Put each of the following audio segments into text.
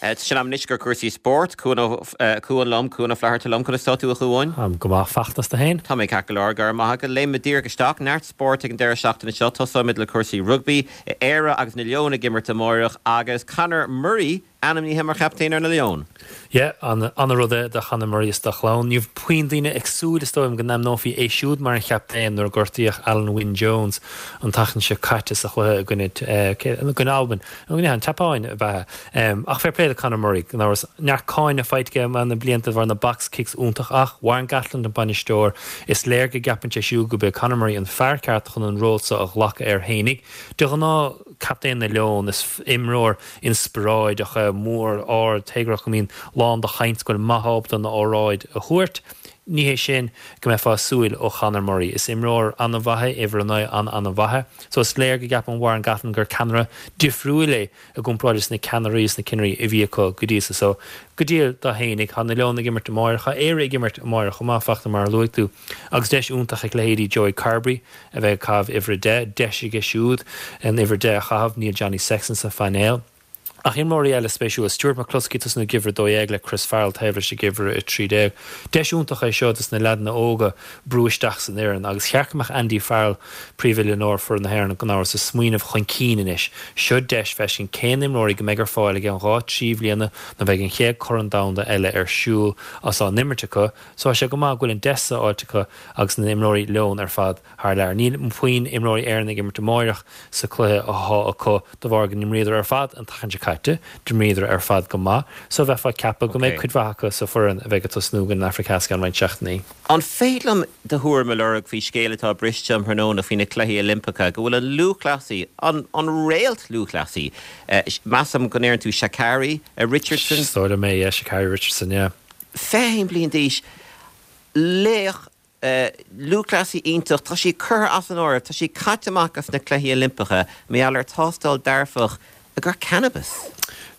Tá sé in am anois gur cúrsaí spóirt. Cuan Cuan liom, Cuan Ó Flatharta liom. Conas tá tú, a Chuain? Táim go maith, a Fhachtna, 's tú féin? Tá mé ceart go leor, go raibh maith agat. Léimfimid díreach isteach. Neart spóirt ag an deireadh seachtaine seo. Tosóimid le cúrsaí rugbaí. Éire agus na Leoin ag imirt amáireach agus Conor Murray ainmnithe mar chaptaen ar na Leoin. Yeah, ana-rud é do Chonor Murray is dá chlann. Ní raibh puinn daoine ag súil, is dóigh liom, go n-ainmneofaí é siúd mar an chaptaen nuair a gortaíodh Alun Wyn Jones an tseachtain seo caite sa chluiche i gcoinne, i gcoinne Albain. Nó an tSeapáin ab ea? Ach fair play do Conor Murray, gan amhras. Neart cáineadh faighte aige na blianta de bharr na box kicks iontach ach Warren Gatland an bainisteoir, is léir go gceapann sé siúd gurb é Conor Murray an fear ceart chun an ról seo a ghlacadh air fhéinig. De ghnáth, captaen na Leon, is imreoir inspioráideach é, mór, ard, téagarthach go mbíonn lán de chaint, go bhfuil maith ábalta an óráid a thabhairt. Ní hé sin go mbeifeá ag súil ó Chonor Murray. Is imreoir an-mhaith é, uimhir 9 an-an-mhaith é. So is léir go gceapann Warren Gatland gur ceannaire difriúil é i gcomparáid leis na ceannairí is na cinnirí a bhí acu go dtí so. So, go diail dó fhéinig. Tá na Leoin ag imirt amáireach. Tá Éire ag imirt amáireach chomh maith, a Fhachtna, mar a luaigh tú. Agus deis iontach ag leithéidí Joey Carbery a bheith ag caitheamh uimhir 10. Deis aige siúd an uimhir 10 a chaitheamh. Níl Johnny Sexton sa phainéal. Ach imreoirí eile spéisiúla, Stuart McCloskey ag tosnú ag uimhir 12 le Chris Farrell taobh leis ag uimhir 13. Deis iontach é seo dos na leaideanna óga brú isteach san fhoireann agus cheart go mbeadh Andy Farrell, príomhoiliúnóir foireann na hÉireann, gan amhras, ag smaoineamh chun cinn anois. Seo deis feiscint cén imreoirí go mbeidh ar fáil i gceann 2, 3 bhliana nuair bheidh an chéad Corn Domhanda eile ar siúl agus á n-imirt acu. So tá sé go maith go bhfuil an deis seo faighte acu agus na imreoirí Leon ar fad thar lear. Níl puinn imreoirí Éireann ag imirt amáireach sa cluiche athá acu de bharr go n-imríodar ar fad an tseachtain seo caite. D'imríodar ar fad go maith so bheifeá ag ceapadh go mbeidh cuid mhaith acu sa foireann a bheidh ag tosnú i gcoinne an Afraic Theas i gceann roinnt seachtainí. An féidir liom do thuairim a lorg faoi scéal atá briste um thráthnóna faoi na Cluichí Oilimpeacha, go bhfuil an lúthchleasaí, an an réalt lúthchleasaí, measaim go ndeireann tú Sha'Carri Richardson? Is dóigh liom é, yeah, Sha'Carri Richardson, yeah. 21 bliain d'aois, laoch, lúthchleasaí iontach, tá sí curtha as an áireamh, tá sí caite amach as na Cluichí Oilimpeacha mar gheall ar tástáil dearfach ar cannabas.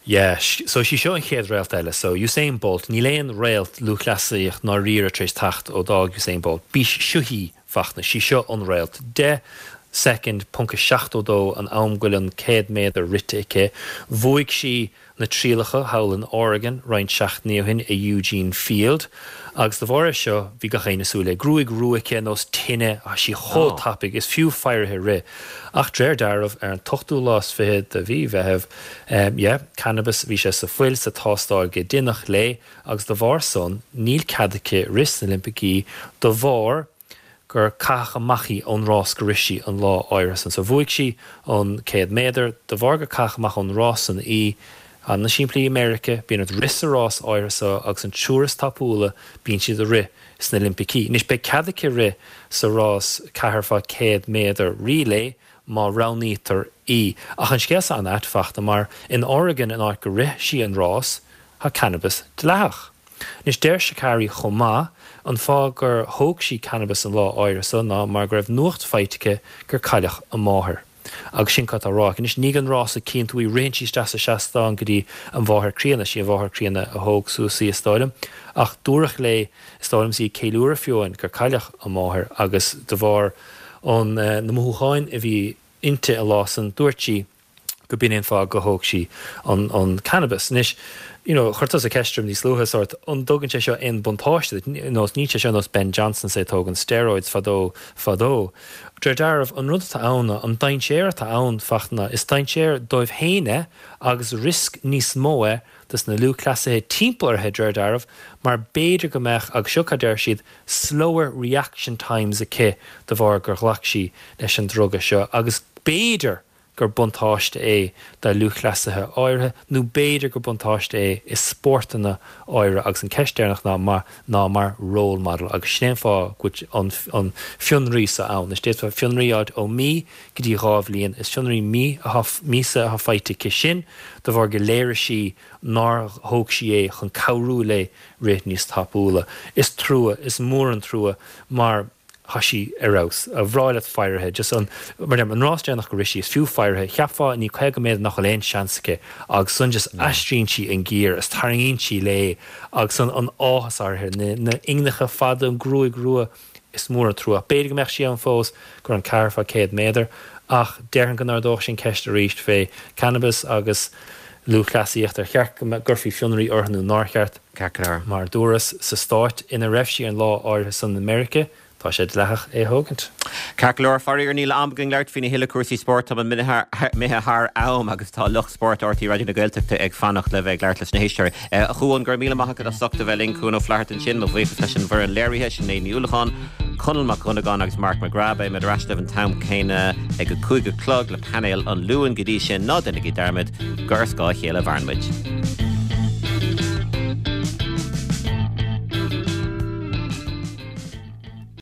Yeah, so is í seo an chéad réalt eile. So Usain Bolt, níl aon réalt lúthchleasaíocht ndáiríre tar éis teacht ó d'fhág Usain Bolt. B'í seo í, a Fhachtna, sí seo an réalt. 10 soicind, ponc 72 an am go bhfuil an 100 méadar rite aici. Bhuaigh sí na trialacha thall in Oregon roinnt seachtainí ó shin i Eugene Field agus de bharr é seo bhí gach éinne ag súil léi. Gruaig rua aici ar nós tine, tá sí chomh tapaidh, is fiú faire uirthi rith. Ach de réir dealraimh ar an t-ochtú lá is fichead de mhí Mheithimh, yeah, cannabas, bhí sé sa fuil sa tástáil go deineadh léi agus de bharr san níl cead aici rith sna Oilimpicí de bharr gur caitheadh amach í ón rás go rith sí an lá áirithe san. So bhuaigh sí an 100 méadar, de bharr gur caitheadh amach ón rás san í, ana-shimplí i Meirice, bíonn ort rith sa rás áirithe so agus an triúr is tapúla bíonn siad ag rith sna Olimpicí. Anois beidh cead aici rith sa rás 4 fá 100 méadar relay má roghnaítear í. Ach an scéal so an-ait, a Fhachtna, mar in Oregon an áit go rith sí an rás, tá cannabas dleathach. Anois deir Sha'Carri chomh maith, an fáth gur thóg sí cannabas an lá áirithe so ná mar go raibh nuacht faighte aici gur cailleadh a máthair. Agus sin cad tá á rá aici. Anois i ndiaidh an rása cíonn tú í, ritheann sí isteach sa seastán go dtí a mháthair críonna, sí a mháthair críonna a thóg suas í is dóigh liom. Ach dúradh léi is dóigh liom is í ag ceiliúradh fiú amháin gur cailleadh a máthair agus de bharr an na mothúcháin a bhí inti an lá san dúirt sí go b'in é an fáth go thóg sí an an cannabas. Anois, you know, chuir tusa ceist orm níos luaithe, sórt, an dtugann sé seo aon buntáiste duit? Nós, níl sé seo nós Ben Johnson is é ag tógaint steroids fadó, fadó. De réir dealraimh, an rud atá ann ná, an dainséar atá ann, Fachtna, is dainséar dóibh féin é agus riosca níos mó é dos na lúthchleasaithe timpeall uirthi, de réir dealraimh, mar b'fhéidir go mbeadh, agus seo cad deir siad, slower reaction times aici de bharr gur ghlac sí leis an druga seo agus b'fhéidir gur buntáiste é do lúthchleasaithe áirithe nó b'fhéidir gur buntáiste é i spórtanna áirithe agus an ceist deireanach ná mar ná mar role model agus sin é an fáth go bhfuil an an fionraí seo ann. Is d'fhéadfá fionraí a fháilt ó mí go dtí 2 bhliain. Is fionraí mí atá míosa atá faighte aici sin de bharr go léirigh sí nár thóg sí é chun cabhrú léi rith níos tapúla. Is trua, is mór an trua mar Tá sí ar fheabhas. Ba bhreá leat faire uirthi. Just an, mar deirim, an rás deireanach go rith sí, is fiú faire uirthi. Cheapfá i ndiaidh 50 méadar nach bhfuil aon seans aici agus ansan just aistríonn sí an giar is tarraingíonn sí léi agus an, an áthas uirthi, na, na inghneacha fada, an gruaig rua, is mór an trua. B'fhéidir go mbeadh sí ann fós go raibh an ceathair fá 100 méadar ach déarfainn go n-ardódh sin ceist arís fé cannabis agus. Lúthchleasaíocht, ar cheart go gcuirfí fionraí orthu nó nár cheart? Ceart go leor. Mar a dúras, sa stát ina raibh sí an lá áirithe san i Meiriceá, tá sé dleathach é a thógaint. Ceart go leor, faraor níl am againn labhairt faoina thuilleadh cúrsaí spóirt, tá muid imithe thar am agus tá lucht spóirt RTÉ Raidió na Gaeltachta ag fanacht le bheith ag labhairt leis na héisteoirí. A Chuan, go raibh míle maith agat as ucht a bheith linn, Cuan Ó Flatharta ansin, mo bhuíochas leis an bhfoireann léirithe, Sinéad Ní Uallacháin, Conall Mac Dhonnagáin agus Mark McGrath. Beidh muid ar ais libh an t-am céanna ag a 5 a chlog le painéal an Luain. Go dtí sin, ná déanaigí dearmad gur ar scáth a chéile a mhaireann muid.